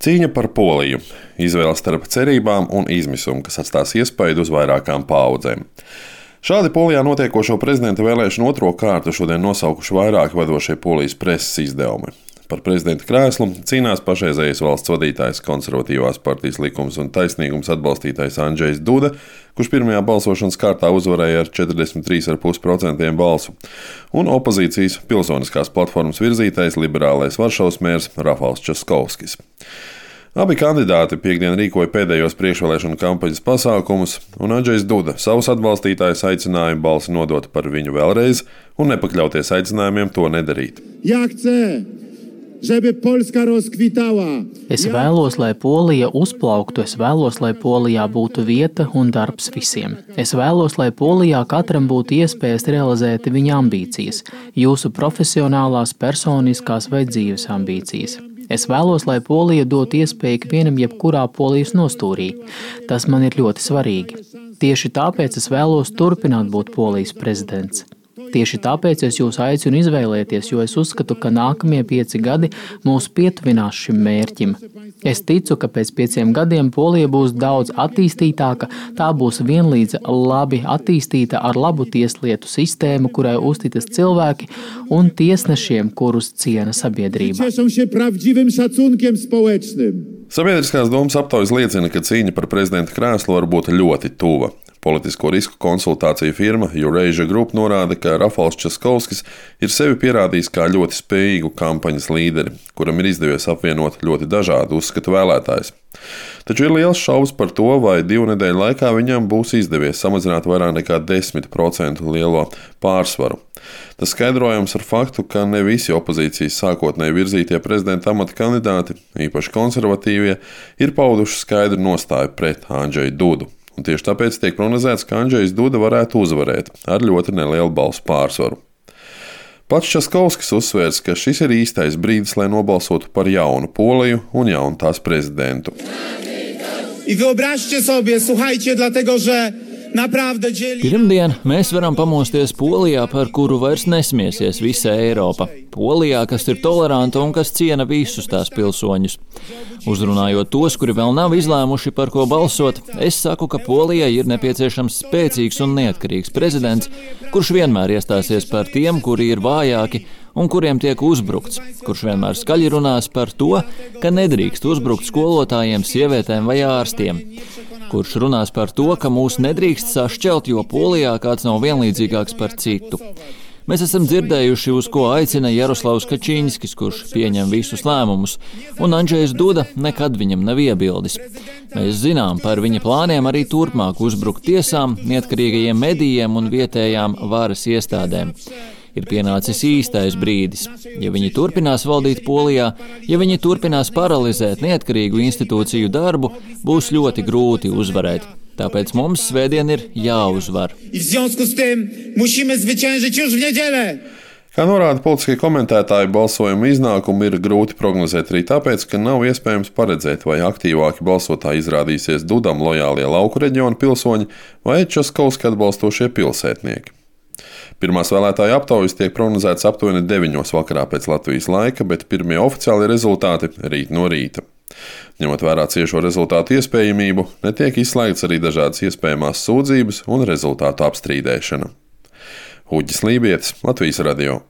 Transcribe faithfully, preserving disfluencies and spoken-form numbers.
Cīņa par Poliju – izvēle starp cerībām un izmisumu, kas atstās iespaidu uz vairākām paaudzēm. Šādi Polijā notiekošo prezidenta vēlēšanu otro kārtu šodien nosaukuši vairāki vadošie Polijas preses izdevumi. Par prezidenta krēslu cīnās pašreizējais valsts vadītājs, konservatīvās partijas Likums un taisnīgums atbalstītājs Andžejs Duda, kurš pirmajā balsošanas kārtā uzvarēja ar četrdesmit trīs komats pieci procenti balsu, un opozīcijas pilsoniskās platformas virzītais liberālais Varšavas mērs Rafals Časkovskis. Abi kandidāti piektdien rīkoja pēdējos priekšvēlēšanu kampaņas pasākumus, un Andžejs Duda savus atbalstītājus aicināja balsi nodot par viņu vēlreiz un nepakļauties aicinājumiem to nedarīt. Es vēlos, lai Polija uzplauktu, es vēlos, lai Polijā būtu vieta un darbs visiem. Es vēlos, lai Polijā katram būtu iespējas realizēt viņa ambīcijas, jūsu profesionālās, personiskās vai dzīves ambīcijas. Es vēlos, lai Polija dot iespēju ikvienam jebkurā Polijas nostūrī. Tas man ir ļoti svarīgi. Tieši tāpēc es vēlos turpināt būt Polijas prezidents. Tieši tāpēc es jūs aicinu izvēlēties, jo es uzskatu, ka nākamie pieci gadi mūs pietuvinās šim mērķim. Es ticu, ka pēc pieciem gadiem Polija būs daudz attīstītāka, tā būs vienlīdz labi attīstīta ar labu tieslietu sistēmu, kurai uzticas cilvēki un tiesnešiem, kurus ciena sabiedrība. Sabiedriskās domas aptaujas liecina, ka cīņa par prezidenta krēslu var būt ļoti tuva. Politisko risku konsultāciju firma Eurasia Group norāda, ka Rafals Časkovskis ir sevi pierādījis kā ļoti spējīgu kampaņas līderi, kuram ir izdevies apvienot ļoti dažādu uzskatu vēlētājus. Taču ir liels šaubas par to, vai divu nedēļu laikā viņam būs izdevies samazināt vairāk nekā desmit procentu lielo pārsvaru. Tas skaidrojams ar faktu, ka ne visi opozīcijas sākotnēji virzītie prezidenta amata kandidāti, īpaši konservatīvie, ir pauduši skaidru nostāju pret Andžeju Dudu. Un tieši tāpēc tiek prognozēts, ka Andžejs Duda varētu uzvarēt ar ļoti nelielu balsu pārsvaru. Pats Časkovskis uzsvērs, ka šis ir īstais brīdis, lai nobalsotu par jaunu Poliju un jaunu tās prezidentu. Pirmdien mēs varam pamosties Polijā, par kuru vairs nesmiesies visa Eiropa. Polijā, kas ir toleranta un kas ciena visus tās pilsoņus. Uzrunājot tos, kuri vēl nav izlēmuši, par ko balsot, es saku, ka Polijai ir nepieciešams spēcīgs un neatkarīgs prezidents, kurš vienmēr iestāsies par tiem, kuri ir vājāki un kuriem tiek uzbrukts, kurš vienmēr skaļi runās par to, ka nedrīkst uzbrukt skolotājiem, sievietēm vai ārstiem, kurš runās par to, ka mūs nedrīkst sašķelt, jo Polijā kāds nav vienlīdzīgāks par citu. Mēs esam dzirdējuši, uz ko aicina Jaroslavs Kačinskis, kurš pieņem visus lēmumus, un Andžejs Duda nekad viņam nav iebildis. Mēs zinām par viņa plāniem arī turpmāk uzbrukt tiesām, neatkarīgajiem medijiem un vietējām varas iestādēm. Ir pienācis īstais brīdis. Ja viņi turpinās valdīt Polijā, ja viņi turpinās paralizēt neatkarīgu institūciju darbu, būs ļoti grūti uzvarēt. Tāpēc mums svētdien ir jāuzvar. Kā norāda politiskie komentētāji, balsojuma iznākumu ir grūti prognozēt arī tāpēc, ka nav iespējams paredzēt, vai aktīvāki balsotāji izrādīsies Dudam lojālie lauku reģionu pilsoņi vai Časkovski atbalstošie pilsētnieki. Pirmās vēlētāju aptaujas tiek prognozētas aptuveni deviņos vakarā pēc Latvijas laika, bet pirmie oficiālie rezultāti rīt no rīta. Ņemot vērā ciešo rezultātu iespējamību, netiek izslēgts arī dažādas iespējamās sūdzības un rezultātu apstrīdēšana. Uģis Lībietis, Latvijas radio.